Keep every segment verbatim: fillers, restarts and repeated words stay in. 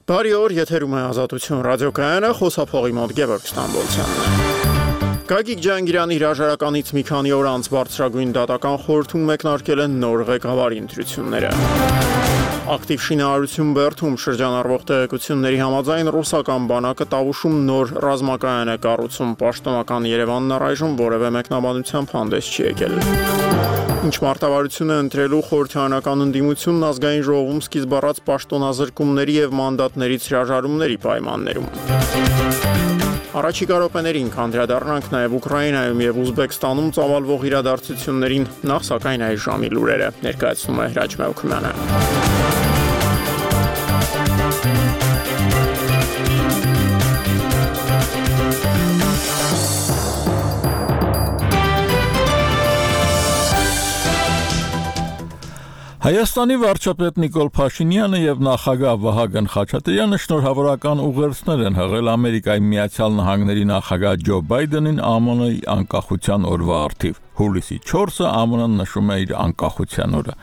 Բարի օր, եթերում է Ազատություն ռադիոկայանը, խոսափողի մոտ Գևորգ Ստամբոլցյանն է։ Գագիկ Ջհանգիրյանի հրաժարականից մի քանի օր անց բարձրագույն դատական խորհրդում մեկնարկել են նոր ղեկավարի ընտրությունները։ Ակտիվ շինարարություն Բերդում շրջանառվող տեղեկությունների համաձայն ռուսական բանակը Տավուշում նոր ռազմակայան է կառուցում, պաշտոնական Երևանն առայժմ որևէ մեկնաբանությամբ հանդես չի եկել։ Ինչ մարտավարություն է ընտրելու խորհրդարանական ընդդիմությունն ազգային ժողովում սկիզբ առած պաշտոնազրկումների եւ մանդատներից հրաժարումների պայմաններում։ Առաջիկա րոպեներին կանդրադառնանք նաև Ուկրաինայում եւ Ուզբեկստանում ծավալվող իրադարձություններին, նախ սակայն այս ժամի լուրերը ներկայացնում է Հրաչ Մելքումյանը։ Հայաստանի վարչապետ Նիկոլ Փաշինյանը եւ նախագահ Վահագն Խաչատրյանը շնորհավորական ուղերձներ են հղել Ամերիկայի Միացյալ Նահանգների նախագահ Ջո Բայդենին ԱՄՆ-ի անկախության օրվա առթիվ։ Հուլիսի չորսը ԱՄՆ-ն նշում է իր անկախության օրը։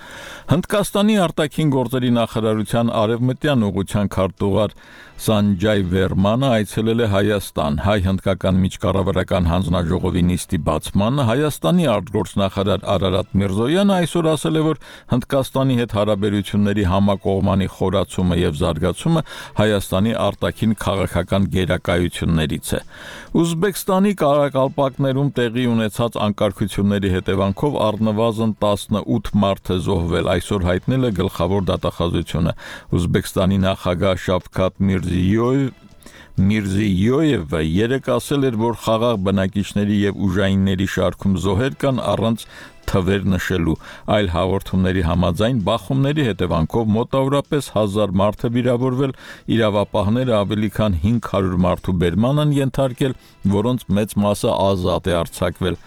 Հնդկաստանի արտաքին գործերի նախարարության արևմտյան ուղղության քարտուղար Սանջայ Վերմանը այցելել է Հայաստան։ Հայ-հնդկական միջկառավարական հանձնաժողովի նիստի բացմանը Հայաստանի արտգործնախարար Արարատ Միրզոյանը այսօր ասել է, որ Հնդկաստանի հետ հարաբերությունների համակողմանի խորացումը եւ զարգացումը Հայաստանի արտաքին քաղաքական գերակայություններից է։ Ուզբեկստանի Կարակալպակներում տեղի ունեցած անկարգությունների հետևանքով առնվազն տասնութ մարդ է զոհվել, այսօր հայտնել է գլխավոր դատախազությունը։ Ուզբեկստանի նախագահ Շավքաթ Միրզիյոև Միրզիյոևը երեկ ասել էր, որ խաղաղ բնակիչների եւ ուժայինների շարքում զոհեր կան առանց թվեր նշելու։ Այլ հաղորդումների համաձայն բախումների հետևանքով մոտավորապես հազար մարդ է վիրավորվել, իրավապահները ավելի քան հինգ հարյուր մարդու բերման են ենթարկել, որոնց մեծ մասը ազատ է արձակվել։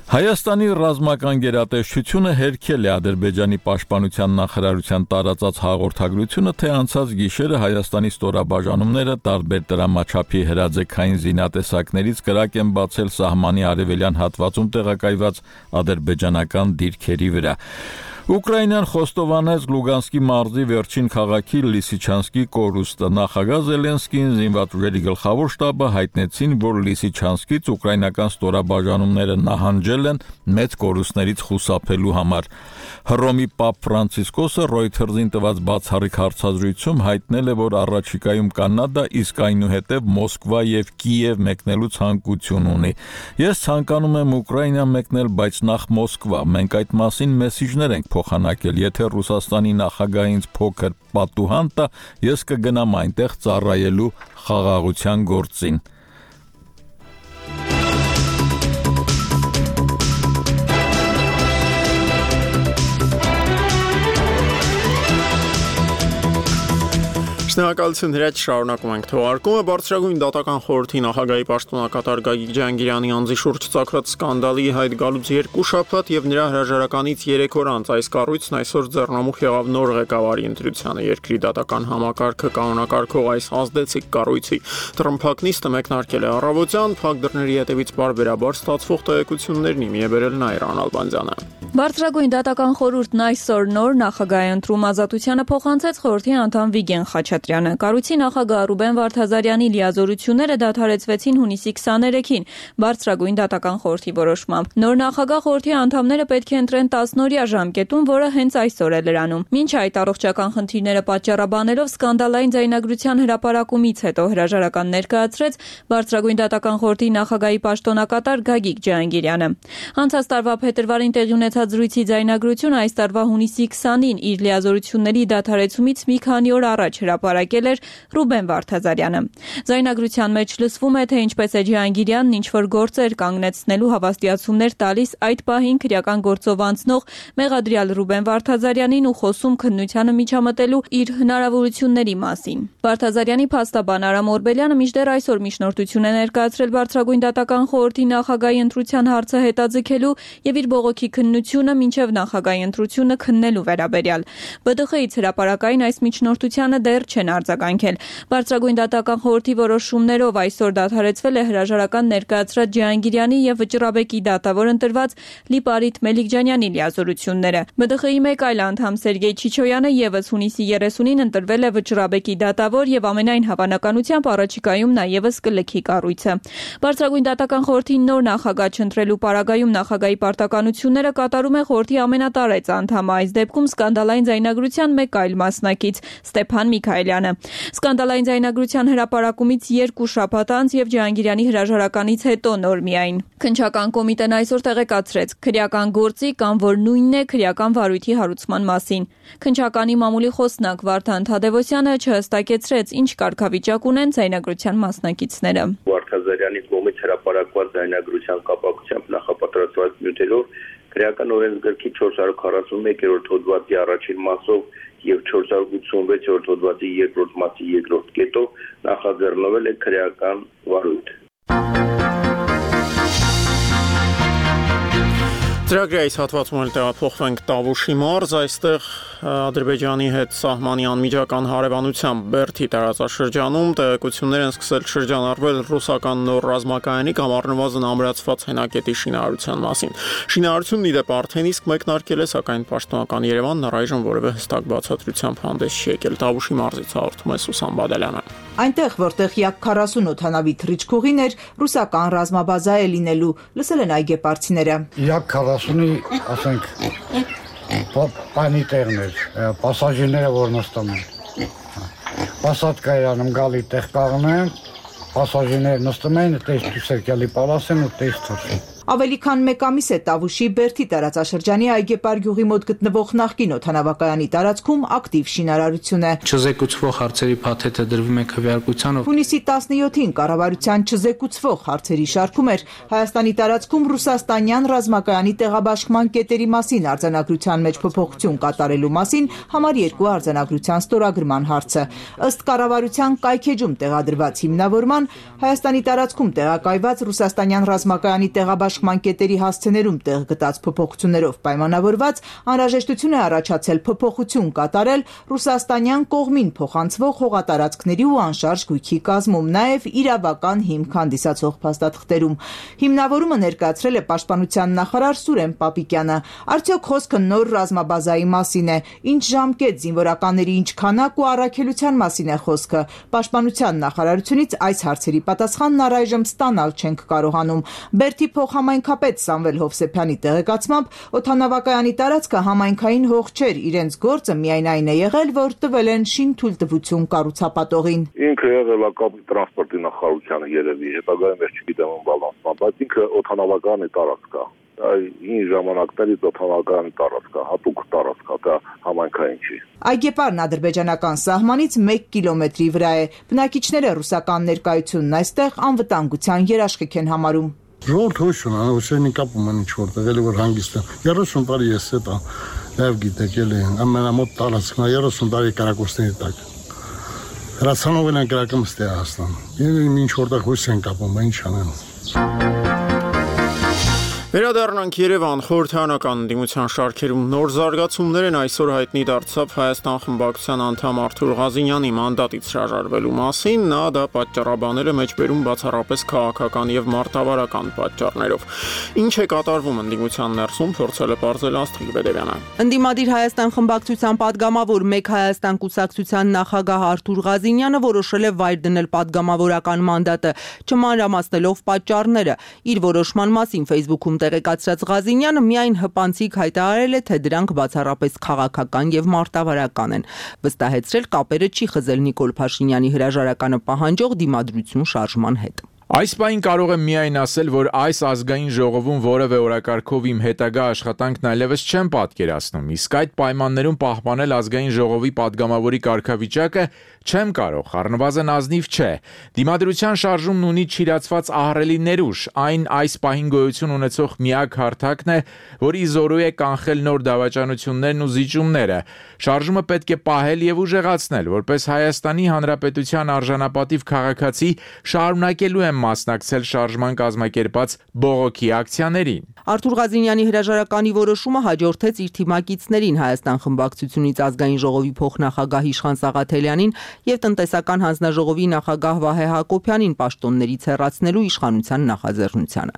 Հայաստանի ռազմական գերատեսչությունը հերքել է Ադրբեջանի պաշտպանության նախարարության տարածած հաղորդագրությունը, թե անցած գիշերը Հայաստանի ստորաբաժանումները տարբեր դրամաչափի հրաձգային զինատեսակներից կրակ են բացել սահմանի արևելյան հատվածում տեղակայված ադրբեջանական դիրքերի վրա։ Ուկրաինան խոստովանեց Լուգանսկի մարզի վերջին քաղաքի Լիսիչանսկի կորուստը։ Նախագահ Զելենսկին, զինված ուժերի գլխավոր շտաբը հայտնեցին, որ Լիսիչանսկից ուկրաինական ստորաբաժանումները նահանջել են մեծ կորուստներից խուսափելու համար։ Հռոմի Պապ Ֆրանցիսկոսը Reuters-ին տված բացառիկ հարցազրույցում հայտնել է, որ առաջիկայում Կանադա, իսկ այնուհետև Մոսկվա եւ Կիև մեկնելու ցանկություն ունի։ Ես ցանկանում եմ Ուկրաինա մեկնել, բայց նախ Մոսկվա։ Մենք այդ մասին մեսիջներ ենք փոխանակել։ Եթե Ռուսաստանի նախագահը ինձ փոքր պատուհան տա, ես կգնամ այնտեղ ծառայելու խաղաղության գործին։ Շնորհակալություն Հրաչ, շարունակում ենք թողարկումը։ Բարձրագույն դատական խորհրդի նախագահի պաշտոնակատար Գագիկ Ջհանգիրյանի անձի շուրջ ծագած սկանդալի հայտ գալուց երկու շաբաթ եւ նրա հրաժարականից երեք օր անց այս կառույցն այսօր ձեռնամուխ եղավ նոր ղեկավարի ընտրությանը։ Երկրի դատական համակարգը կանոնակարգող այս ազդեցիկ կառույցի տրմփակ նիստը մեկնարկել է առավոտյան, փակ դռների հետևից բարբերաբար ստացվող տեղեկություններն իմի է բերել Նայիրան Ալբանդյանը։ Բարձրագույն դատական խորհուրդն այսօր նոր նախագահ է ընտրում, Ազատությանը փոխանցեց խորհրդի անդամ Վիգեն Խաչատրյանը։ Կառույցի նախագահ Ռուբեն Վարդազարյանի լիազորությունները դադարեցվեցին հունիսի քսաներեքին բարձրագույն դատական խորհրդի որոշմամբ։ Նոր նախագահ խորհրդի անդամները պետք է ընտրեն տասնօրյա ժամկետում, որը հենց այսօր է լրանում։ Մինչ այդ առողջական խնդիրները պատճառաբանելով սկանդալային ձայնագրության հրապարակումից հետո հրաժարական ներկայացրեց բարձրագույն դատական խորհրդի նախագահի պաշտոնակատար Գագիկ Ջհանգիրյանը։ Անցած տարվա փետրվարին տեղի ունեցած զրույցի ձայնագրությունը այս տարվա հունիսի քսանին իր լիազորությունների դադարեցումից մի քանի օր առաջ հրապարակել էր Ռուբեն Վարդազարյանը։ Ձայնագրության մեջ լսվում է, թե ինչպես է Ջհանգիրյանն ինչ-որ գործեր կանգնեցնելու հավաստիացումներ տալիս այդ պահին քրեական գործով անցնող մեղադրյալ Ռուբեն Վարդազարյանին ու խոսում քննությանը միջամտելու իր հնարավորությունների մասին։ Վարդազարյանի փաստաբան Արամ Օրբելյանը մինչդեռ այսօր միջնորդություն է ներկայացրել բարձրագույն դատական խորհրդի նախագահի ընտրության հարցը հետաձգելու եւ իր բողոքի քննությունը ազատությունը մինչև նախագահի ընտրությունը քննելու վերաբերյալ։ Բը դե խ-ից հրապարակային այս միջնորդությանը դեռ չեն արձագանքել։ Բարձրագույն դատական խորհրդի որոշումներով այսօր դադարեցվել է հրաժարական ներկայացրած Ջհանգիրյանի եւ Վճռաբեկի դատավոր ընտրված Լիպարիտ Մելիքջանյանի լիազորությունները։ Բը դե խ-ի մեկ այլ անդամ Սերգեյ Չիչոյանը եւս հունիսի երեսունին ընտրվել է Վճռաբեկի դատավոր եւ ամենայն հավանականությամբ առաջիկայում նաեւս կլքի կառույցը։ Բարձրագույն դատական խորհրդի նոր նախագահ չընտրելու պարագայում նախագահի պարտականությունները կատարում է խորհրդի ամենատարեց անդամը, այս դեպքում սկանդալային ձայնագրության մեկ այլ մասնակից Ստեփան Միքայելյանը։ Սկանդալային ձայնագրության հրապարակումից երկու շաբաթ անց եւ Ջհանգիրյանի հրաժարականից հետո նոր միայն քննչական կոմիտեն այսօր տեղեկացրեց քրեական գործի կամ որ նույնն է քրեական վարույթի հարուցման մասին։ Քննչականի մամուլի խոսնակ Վարդան Թադևոսյանը չհստակեցրեց ինչ կարգավիճակ ունեն ձայնագրության մասնակիցները։ Վարդազարյանի կողմից հրապարակված ձայնագրության կապակցությամբ նախապատրաստված նյութերով քրեական օրենսգրքի չորս հարյուր քառասունմեկերորդ հոդվածի առաջին մասով եւ չորս հարյուր ութսունվեցերորդ հոդվածի երկրորդ մասի երկրորդ կետով նախաձեռնվել է քրեական վարույթ։ Ծրագրի այս հատվածում էլ տեղափոխվենք Տավուշի մարզ, այստեղ Ադրբեջանի հետ սահմանի անմիջական հարևանությամբ Բերդի տարածաշրջանում տեղեկություններ են սկսել շրջանառվել ռուսական նոր ռազմակայանի կամ առնվազն ամրացված հենակետի շինարարության մասին։ Շինարարությունն ի դեպ արդեն իսկ մեկնարկել է, սակայն պաշտոնական Երևանն առայժմ որևէ հստակ բացատրությամբ հանդես չի եկել։ Տավուշի մարզից հաղորդում է Սուսան Բադալյանը։ Այնտեղ, որտեղ յակ քառասուն օդանավի թռիչքուղին էր, ռուսական ռազմաբազա է լինելու, լսել են այգեպարցիները։ Յակ քառասունի, ասենք, պանի տեղն էր, պասաժիրները որ նստում են։ Պասատկա իրանում գալի տեղ կաղն են, պասաժիրները նստում են, տես դուսերկյալի պալաս են ու տես թրսին։ Ավելի քան մեկ ամիս է Տավուշի Բերդի տարածաշրջանի Այգեպար գյուղի մոտ գտնվող նախկին օդանավակայանի տարածքում ակտիվ շինարարություն է։ Չզեկուցվող հարցերի փաթեթը դրվում է քվեարկությանով։ Հունիսի տասնյոթին կառավարության չզեկուցվող հարցերի շարքում էր Հայաստանի տարածքում ռուսաստանյան ռազմակայանի տեղաբաշխման կետերի մասին արձանագրության մեջ փոփոխություն կատարելու մասին համար երկու արձանագրության ստորագրման հարցը։ Ըստ կառավարության կայքեջում տեղադրված հիմնավորման Հայաստանի տարածքում տեղակայված ռուսաստանյան ռազմակայանի տեղաբաշխման կետերի հասցեներում տեղ գտած փոփոխություններով պայմանավորված անհրաժեշտություն է առաջացել փոփոխություն կատարել ռուսաստանյան կողմին փոխանցվող հողատարածքների ու անշարժ գույքի կազմում, նաև իրավական հիմք հանդիսացող փաստաթղթերում։ Հիմնավորումը ներկայացրել է պաշտպանության նախարար Սուրեն Պապիկյանը։ Արդյոք խոսքը նոր ռազմաբազայի մասին է, ինչ ժամկետ, զինվորականների ինչ քանակ ու առաքելության մասին է խոսքը։ Պաշտպանության նախարարությունից այս հարցերի պատասխանն առայժմ ստանալ չենք կարողանում։ Բերդի Համայնքապետ Սամվել Հովսեփյանի տեղեկացմամբ օդանավակայանի տարածքը համայնքային հող չէր, իրենց գործը միայն այն է եղել, որ տվել են շինթույլտվություն կառուցապատողին։ Ինքը եղել է կապի տրանսպորտի նախարարությանը երևի, հետագայում ես չգիտեմ ում բալանսման, բայց ինքը օդանավակայանի տարածք է։ Այն ժամանակներից օդանավակայանի տարածք է, հատուկ տարածք է, դա համայնքային չի։ Այգեպարն ադրբեջանական սահմանից մեկ կիլոմետրի վրա է։ Բնակիչները ռուսական ներկայությունն այստեղ անվտանգության երաշխիք են համարում։ Ժողովուրդ հույս ունի, ուսերին կապում են ինչ-որտեղ, էլի որ հանգիստ են։ երեսուն տարի ես հետ եմ, և գիտեք էլի, ամենամոտ տարածքն է, երեսուն տարի կրակոցների տակ։ Հրացանով են կրակում ստեղ հասնան։ Ինչ-որտեղ հույս են կապում, ինչ անեն։ Վերադառնանք Երևան, խորհրդարանական ընդդիմության շարքերում նոր զարգացումներ են, այսօր հայտնի դարձավ Հայաստան խմբակցության անդամ Արթուր Ղազինյանի մանդատից հրաժարվելու մասին, նա դա պատճառաբանել է մեջբերում բացառապես քաղաքական եւ մարտավարական պատճառներով։ Ինչ է կատարվում ընդդիմության ներսում, փորձել է պարզել Աստղիկ Բեդևյանը։ Ընդդիմադիր Հայաստան խմբակցության падգամավոր Մեկ Հայաստան կուսակցության նախագահ Արթուր Ղազինյանը որոշել է վայր դնել падգամավորական մանդատը, չմանրամասնելով պատճառները։ Իր որոշման մասին Facebook-ում տեղեկացրած Ղազինյանը միայն հպանցիկ հայտարարել է, թե դրանք բացառապես քաղաքական եւ մարտավարական են։ Վստահեցրել կապերը չի խզել Նիկոլ Փաշինյանի հրաժարականը պահանջող դիմադրություն շարժման հետ։ Այս պահին կարող եմ միայն ասել, որ այս ազգային ժողովում որևէ օրակարգով իմ հետագա աշխատանքն այլևս չեմ պատկերացնում, իսկ այդ պայմաններում պահպանել ազգային ժողովի падգամավորի կարգավիճակը չեմ կարող, առնվազն ազնիվ չէ։ Դիմադրության շարժումն ունի չիրացված ահռելի ներուժ, այն այս պահին գոյություն ունեցող միակ հարթակն է, որի զորու է կանխել նոր դավաճանություններն ու զիջումները։ Շարժումը պետք է պահել եւ ուժեղացնել, որպես Հայաստանի Հանրապետության արժանապատիվ քաղաքացի շարունակելու եմ են մասնակցել շարժման կազմակերպած բողոքի ակցիաներին։ Արթուր Ղազինյանի հրաժարականի որոշումը հաջորդեց իր թիմակիցներին Հայաստան խմբակցությունից ազգային ժողովի փոխնախագահ Իշխան Սաղաթելյանին եւ տնտեսական հանձնաժողովի նախագահ Վահե Հակոբյանին պաշտոններից հեռացնելու իշխանության նախաձեռնությանը։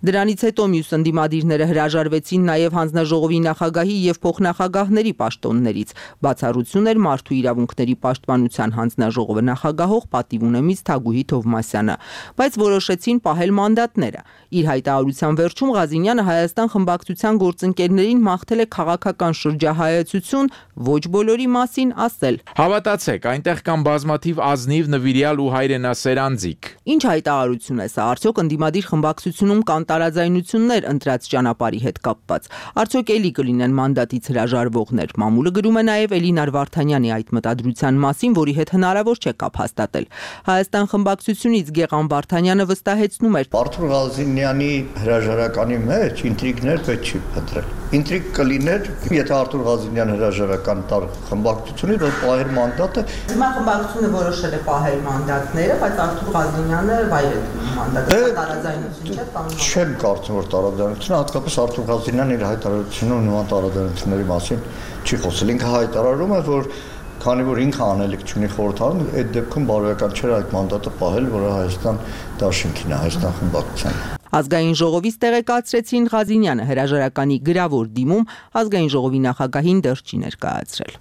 Դրանից հետո մյուս ընդդիմադիրները հրաժարվեցին նաեւ հանձնաժողովի նախագահի եւ փոխնախագահների պաշտոններից։ Բացառություն էր Մարդու իրավունքների պաշտպանության հանձնաժողովը նախագահող պատիվունեմից Թագուհի Թովմասյանը, բայց որոշեցին պահել մանդատները։ Իր հայտարարության վերջում Ղազինյանը Հայաստան խմբակցության գործընկերներին մաղթել է քաղաքական շրջահայացություն, ոչ բոլորի մասին ասել. Հավատացեք, այնտեղ կան բազմաթիվ ազնիվ, նվիրյալ ու հայրենասեր անձիկ։ Ինչ հայտարարություն է սա, արդյոք ընդդիմադիր խմբակցությունում կան տարաձայնություններ ընտրած ճանապարհի հետ կապված։ Արդյոք էլի կլինեն մանդատից հրաժարվողներ։ Մամուլը գրում է նաև Էլինար Վարդանյանի այդ մտադրության մասին, որի հետ հնարավոր չէ կապ հաստատել։ Հայաստան խմբակցությունից Գեղամ Վարդանյանը վստահեցնում էր. Արթուր Ղազինյանի հրաժարականի մեջ ինտրիգներ պետք չի փնտրել։ Ինտրիգ կլիներ, եթե Արթուր Ղազինյանը հրաժարական տար խմբակցությունից, որ պահեր մանդատը։ Հիմա խմբակցությունը որոշել է պահել մանդատները, բայց Արթուր Ղազինյանը վայր է մանդատը տարաձայնություն չէ տանում։ Չեմ կարծում, որ տարաձայնությունը, հատկապես Արթուր Ղազինյանն իր հայտարարությունում նման տարաձայնությունների մասին չի խոսել։ Ինքը հայտարարում է, որ քանի որ ինքը անելիք չունի խորհրդարանում, այդ դեպքում բարոյական չէր այդ մանդատը պահել, որը Հայաստան դաշինքին է, Հայաստան խմբակցության։ Ազգային ժողովից տեղեկացրեցին Ղազինյանը հրաժարականի գրավոր դիմում ազգային ժողովի նախագահին դեռ չի ներկայացրել։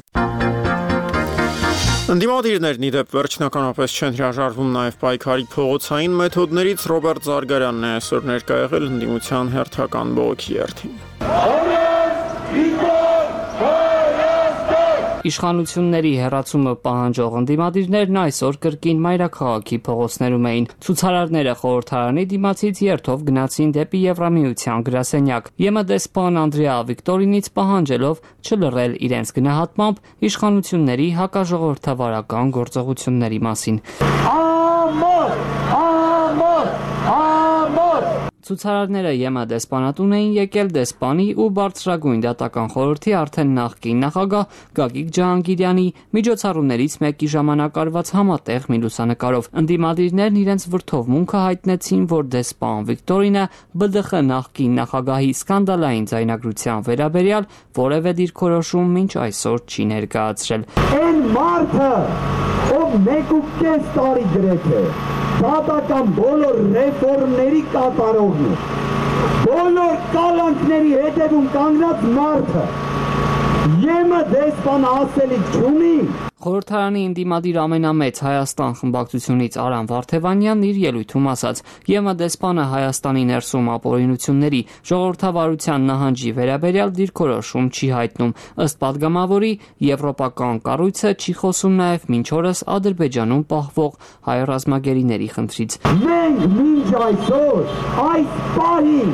Ընդդիմադիրներն ի դեպ վերջնականապես չեն հրաժարվում նաև պայքարի փողոցային մեթոդներից։ Ռոբերտ Զարգարյանն է այսօր ներկա եղել ընդդիմության հերթական բողոքի երթին։ Իշխանությունների հեռացումը պահանջող ընդդիմադիրներն այսօր կրկին մայրաքաղաքի փողոցներում էին։ Ցուցարարները խորհրդարանի դիմացից երթով գնացին դեպի Եվրամիության գրասենյակ։ ԵՄ դեսպան Անդրեա Վիկտորինից պահանջելով չլռել իրենց գնահատմամբ իշխանությունների հակաժողովրդավարական գործողությունների մասին։ Ամոթ, ամոթ, ամոթ Ցուցարարները ԵՄ դեսպանատուն էին եկել դեսպանի ու բարձրագույն դատական խորհրդի արդեն նախկին նախագահ Գագիկ Ջահանգիրյանի միջոցառումներից մեկի ժամանակ արված համատեղ մի լուսանկարով։ Ընդդիմադիրներն իրենց վրդովմունքը հայտնեցին, որ դեսպան Վիկտորինը B D X նախկին նախագահի սկանդալային ձայնագրության վերաբերյալ որևէ դիրքորոշում մինչ այսօր չի ներկայացրել։ Այն մարդը, ով մեկ ու կես տարի գրեթե դատական բոլոր ռեֆորմների կատարողն է, բոլոր կալանքների հետևում կանգնած մարդը, ԵՄ դեսպանը ասելիք չունի։ Խորհրդարանի ընդդիմադիր ամենամեծ Հայաստան խմբակցությունից Արամ Վարդևանյանն իր ելույթում ասաց. ԵՄ դեսպանը Հայաստանի ներսում ապօրինությունների ժողովրդավարության նահանջի վերաբերյալ դիրքորոշում չի հայտնում։ Ըստ падգամավորի, եվրոպական կառույցը չի խոսում նաև մինչ օրս Ադրբեջանում պահվող հայ ռազմագերիների խնդրից։ Մենք մինչ այսօր այս պահին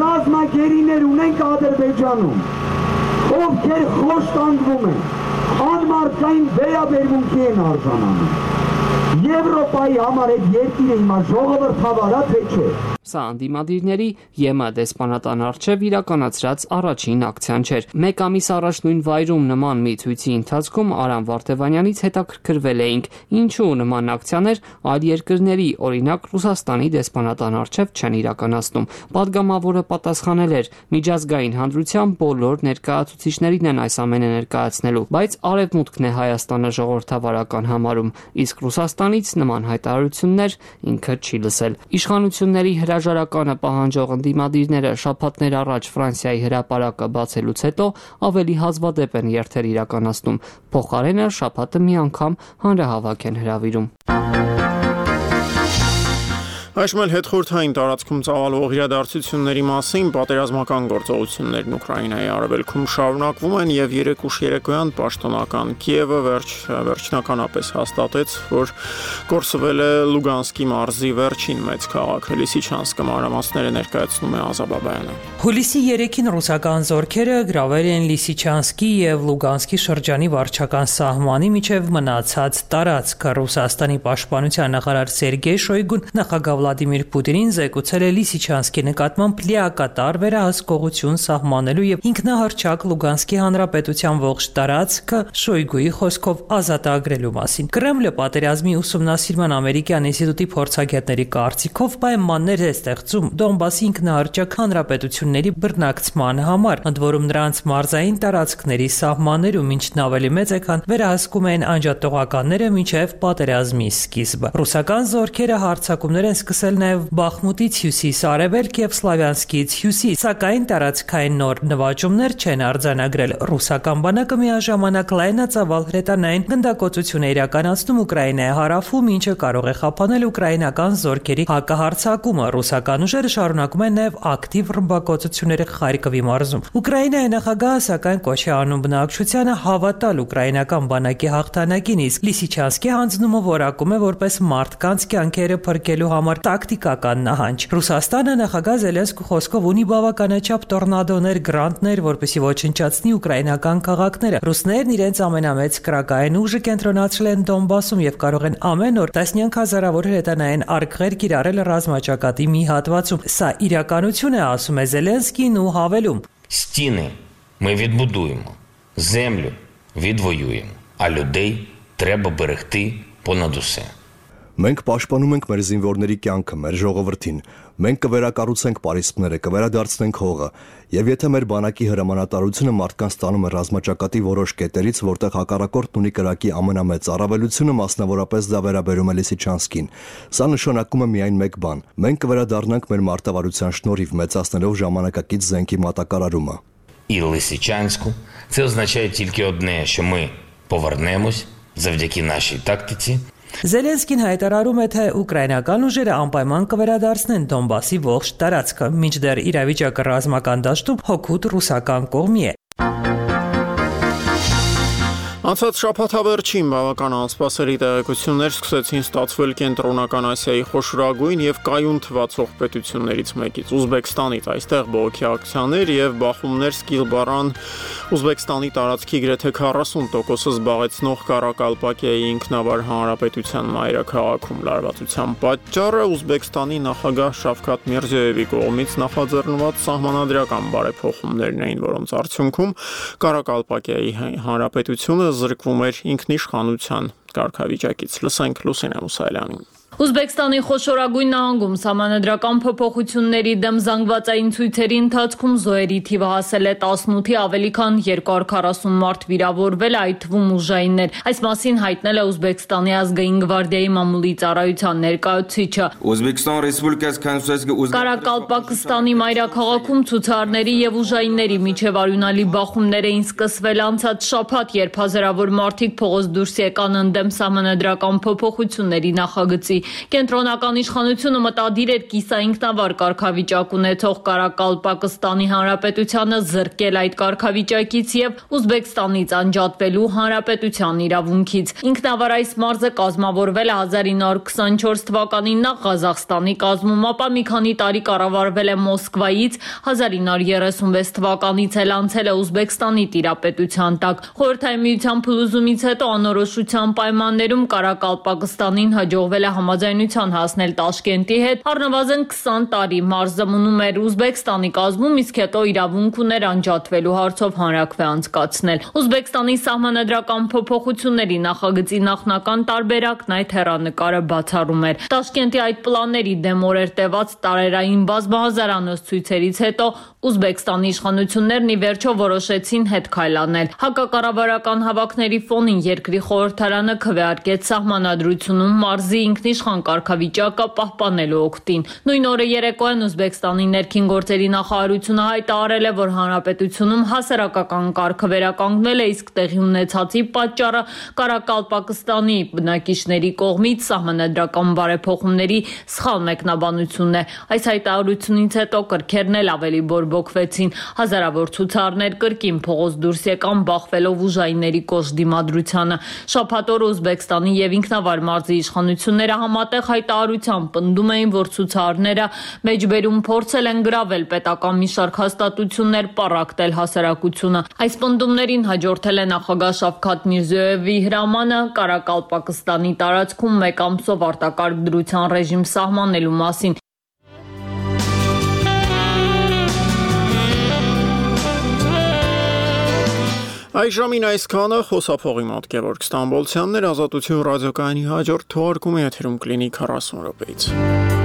ռազմագերիներ ունենք Ադրբեջանում, ովքեր խոշտանգվում են, անմարդկային վերաբերմունքի են արժանանում։ Եվրոպայի համար այդ երկիրը հիմա ժողովրդավար է, թե չէ։ Սա ընդդիմադիրների ԵՄ դեսպանատան առջև իրականացրած առաջին ակցիան չէր։ Մեկ ամիս առաջ նույն վայրում նման մի ցույցի ընթացքում Արամ Վարդևանյանից հետաքրքրվել էինք, ինչու նման ակցիաներ այլ երկրների, օրինակ Ռուսաստանի դեսպանատան առջև չեն իրականացնում։ Պատգամավորը պատասխանել էր. միջազգային հանրության բոլոր ներկայացուցիչներին են այս ամենը ներկայացնելու, բայց Արևմուտքն է Հայաստանը ժողովրդավարական համարում, իսկ Ռուսաստանից նման հայտարարություններ ինքը չի լսել։ Իշխանությունների հրաժարականը պահանջող ընդդիմադիրները շաբաթներ առաջ Ֆրանսիայի հրապարակը բացելուց հետո ավելի հազվադեպ են երթեր իրականացնում։ Փոխարենը շաբաթը մի անգամ հանրահավաք են հրավիրում։ Այժմ էլ հետխորհրդային տարածքում ծավալվող իրադարձությունների մասին պատերազմական գործողություններն Ուկրաինայի արևելքում շարունակվում են եւ երեք ուշ երեկոյան պաշտոնական Կիևը վերջ վերջնականապես հաստատեց, որ կորսվել է Լուգանսկի մարզի վերջին մեծ քաղաքը Լիսիչանսկը մանրամասները ներկայացնում է Ազաբաբայանը։ Հուլիսի երեքին ռուսական զորքերը գրավել են Լիսիչանսկի եւ Լուգանսկի շրջանի վարչական սահմանի միջև մնացած տարածքը։ Ռուսաստանի պաշտպանության նախարար Սերգեյ Շոյգուն նախագահ Վլադիմիր Պուտինին զեկուցել է Լիսիչանսկի նկատմամբ լիակատար վերահսկողություն սահմանելու եւ ինքնահռչակ Լուգանսկի հանրապետության ողջ տարածքը Շոյգուի խոսքով ազատագրելու մասին։ Կրեմլը պատերազմի ուսումնասիրման ամերիկյան ինստիտուտի փորձագետների կարծիքով պայմաններ է ստեղծում Դոնբասի ինքնահռչակ հանրապետությունների բռնակցման համար, ընդ որում նրանց մարզային տարածքների սահմաններում, ինչն ավելի մեծ է, քան վերահսկում են անջատողականները մինչև պատերազմի սկիզբը։ Ռուսական զորքերը հարձակումներ են սկսել նաև Բախմուտից հյուսիս արևելք եւ Սլավյանսկից հյուսիս, սակայն տարածքային նոր նվաճումներ չեն արձանագրել։ Ռուսական բանակը միաժամանակ լայնածավալ հրետանային գնդակոծություն է իրականացնում Ուկրաինայի հարավում, ինչը կարող է խափանել ուկրաինական զորքերի հակահարձակումը։ Ռուսական ուժերը շարունակում են նաև ակտիվ ռմբակոծությունները Խարկովի մարզում։ Ուկրաինայի նախագահը սակայն կոչ է անում բնակչությանը հավատալ ուկրաինական բանակի հաղթանակին, իսկ Լիսիչանսկի հանձնումը որակում է որպես մարդկանց կյանքերը փրկելու համար տակտիկական նահանջ։ Ռուսաստանը նախագահ Զելենսկու խոսքով ունի բավականաչափ տորնադոներ, գրանտներ, որպեսզի ոչնչացնի ուկրաինական քաղաքները։ Ռուսներն իրենց ամենամեծ կրակային ուժը կենտրոնացրել են Դոնբասում եւ կարող են ամեն օր տասնյակ հազարավոր հրետանային արկղեր կիրառել ռազմաճակատի մի հատվածում։ Սա իրականություն է, ասում է Զելենսկին ու հավելում. Стіни ми відбудуємо, землю відвоюємо, а людей треба берегти понад усе. Մենք պաշտպանում ենք մեր զինվորների կյանքը, մեր ժողովրդին։ Մենք կվերակառուցենք պարիսպները, կվերադարձնենք հողը, եւ եթե մեր բանակի հրամանատարությունը մարդկանց տանում է ռազմաճակատի որոշ կետերից, որտեղ հակառակորդն ունի կրակի ամենամեծ առավելությունը, մասնավորապես դա վերաբերում է Լիսիչանսկին, սա նշանակում է միայն մեկ բան. մենք կվերադառնանք մեր մարտավարության շնորհիվ մեծացնելով ժամանակակից զենքի մատակարարումը։ І Лисичанську це означає тільки одне, що ми повернемось завдяки нашій тактиці. Զելենսկին հայտարարում է, թե ուկրաինական ուժերը անպայման կվերադարձնեն Դոնբասի ողջ տարածքը, մինչդեռ իրավիճակը ռազմական դաշտում հօգուտ ռուսական կողմի է։ Անցած շաբաթավերջին բավական անսպասելի տեղեկություններ սկսեցին ստացվել Կենտրոնական Ասիայի խոշորագույն եւ կայուն թվացող պետություններից մեկից՝ Ուզբեկստանից։ Այստեղ բողոքի ակցիաներ եւ բախումներ սկիզբառան Ուզբեկստանի տարածքի գրեթե քառասուն տոկոսը զբաղեցնող Կարակալպակիայի ինքնավար հանրապետության մայրաքաղաքում լարվածության պատճառը Ուզբեկստանի նախագահ Շավքաթ Միրզոևի կողմից նախաձեռնված սահմանադրական բարեփոխումներն էին, որոնց արդյունքում Կարակալպակիայի հանրապետությունը զրկվում էր ինքնիշխանության կարգավիճակից։ Լսենք Լուսինե Մուսայելյանին։ Ուզբեկստանի խոշորագույն նահանգում սահմանադրական փոփոխությունների դեմ զանգվածային ցույցերի ընթացքում զոհերի թիվը հասել է տասնութի, ավելի քան երկու հարյուր քառասուն մարդ վիրավորվել, այդ թվում ուժայիններ։ Այս մասին հայտնել է Ուզբեկստանի ազգային գվարդիայի մամուլի ծառայության ներկայացուցիչը։ Ուզբեկստան Ռեսպուբլիկայից կանոնսայից Կարակալպակստանի մայրաքաղաքում ցուցարների եւ ուժայինների միջև արյունալի բախումներ էին սկսվել անցած շաբաթ, երբ հազարավոր մարդիկ փողոց դուրս եկան ընդդեմ սահմանադրական փոփոխությունների նախագծի։ Կենտրոնական իշխանությունը մտադիր էր կիսաինքնավար կարգավիճակ ունեցող Կարակալպակստանի հանրապետությանը զրկել այդ կարգավիճակից եւ Ուզբեկստանից անջատվելու հանրապետության իրավունքից։ Ինքնավար այս մարզը կազմավորվել է հազար ինը հարյուր քսանչորս թվականին նախ Ղազախստանի կազմում, ապա մի քանի տարի կառավարվել է Մոսկվայից, հազար ինը հարյուր երեսունվեց թվականից էլ անցել է Ուզբեկստանի տիրապետության տակ։ Խորհրդային միության փլուզումից հետո անորոշության պայմաններում Կարակալպակստանին հաջողվել է համաձայնության հասնել Տաշկենտի հետ, առնվազն քսան տարի մարզը մնում էր Ուզբեկստանի կազմում, իսկ հետո իրավունք ուներ անջատվելու հարցով հանրաքվե անցկացնել։ Ուզբեկստանի սահմանադրական փոփոխությունների նախագծի նախնական տարբերակն այդ հեռանկարը բացառում էր։ Տաշկենտի այդ պլանների դեմ օրեր տևած տարերային բազմահազարանոց ցույցերից հետո Ուզբեկստանի իշխանություններն ի վերջո որոշեցին հետ քայլանել։ Հակակառավարական հավաքների ֆոնին երկրի խորհրդարանը քվեարկեց սահմանադրությունում մարզի ինքնիշխան կարգավիճակը պահպանելու օգտին։ Նույն օրը երեկոյան Ուզբեկստանի ներքին գործերի նախարարությունը հայտարարել է, որ հանրապետությունում հասարակական կարգը վերականգնվել է, իսկ տեղի ունեցածի պատճառը Կարակալպակստանի բնակիչների կողմից սահմանադրական բարեփոխումների սխալ մեկնաբանությունն է։ Այս հայտարարությունից հետո կրքերն էլ ավելի բորբոք բողոքվեցին, հազարավոր ցուցարներ կրկին փողոց դուրս եկան բախվելով ուժայինների կոշտ դիմադրությանը։ Շաբաթ օրը Ուզբեկստանի եւ Ինքնավար մարզի իշխանությունները համատեղ հայտարարությամբ պնդում էին, որ ցուցարները մեջբերում փորձել են գրավել պետական մի շարք հաստատություններ, պառակտել հասարակությունը։ Այս պնդումներին հաջորդել է նախագահ Շավքաթ Միրզոևի հրամանը Կարակալպակստանի տարածքում մեկ ամսով արտակարգ դրության ռեժիմ սահմանելու մասին։ Այժմին այսքանը խոսափողի մոտ Գևորգ Ստամբոլցյանն էր, Ազատություն ռադիոկայանի հաջորդ թողարկումը եթերում կլինի քառասուն րոպեից։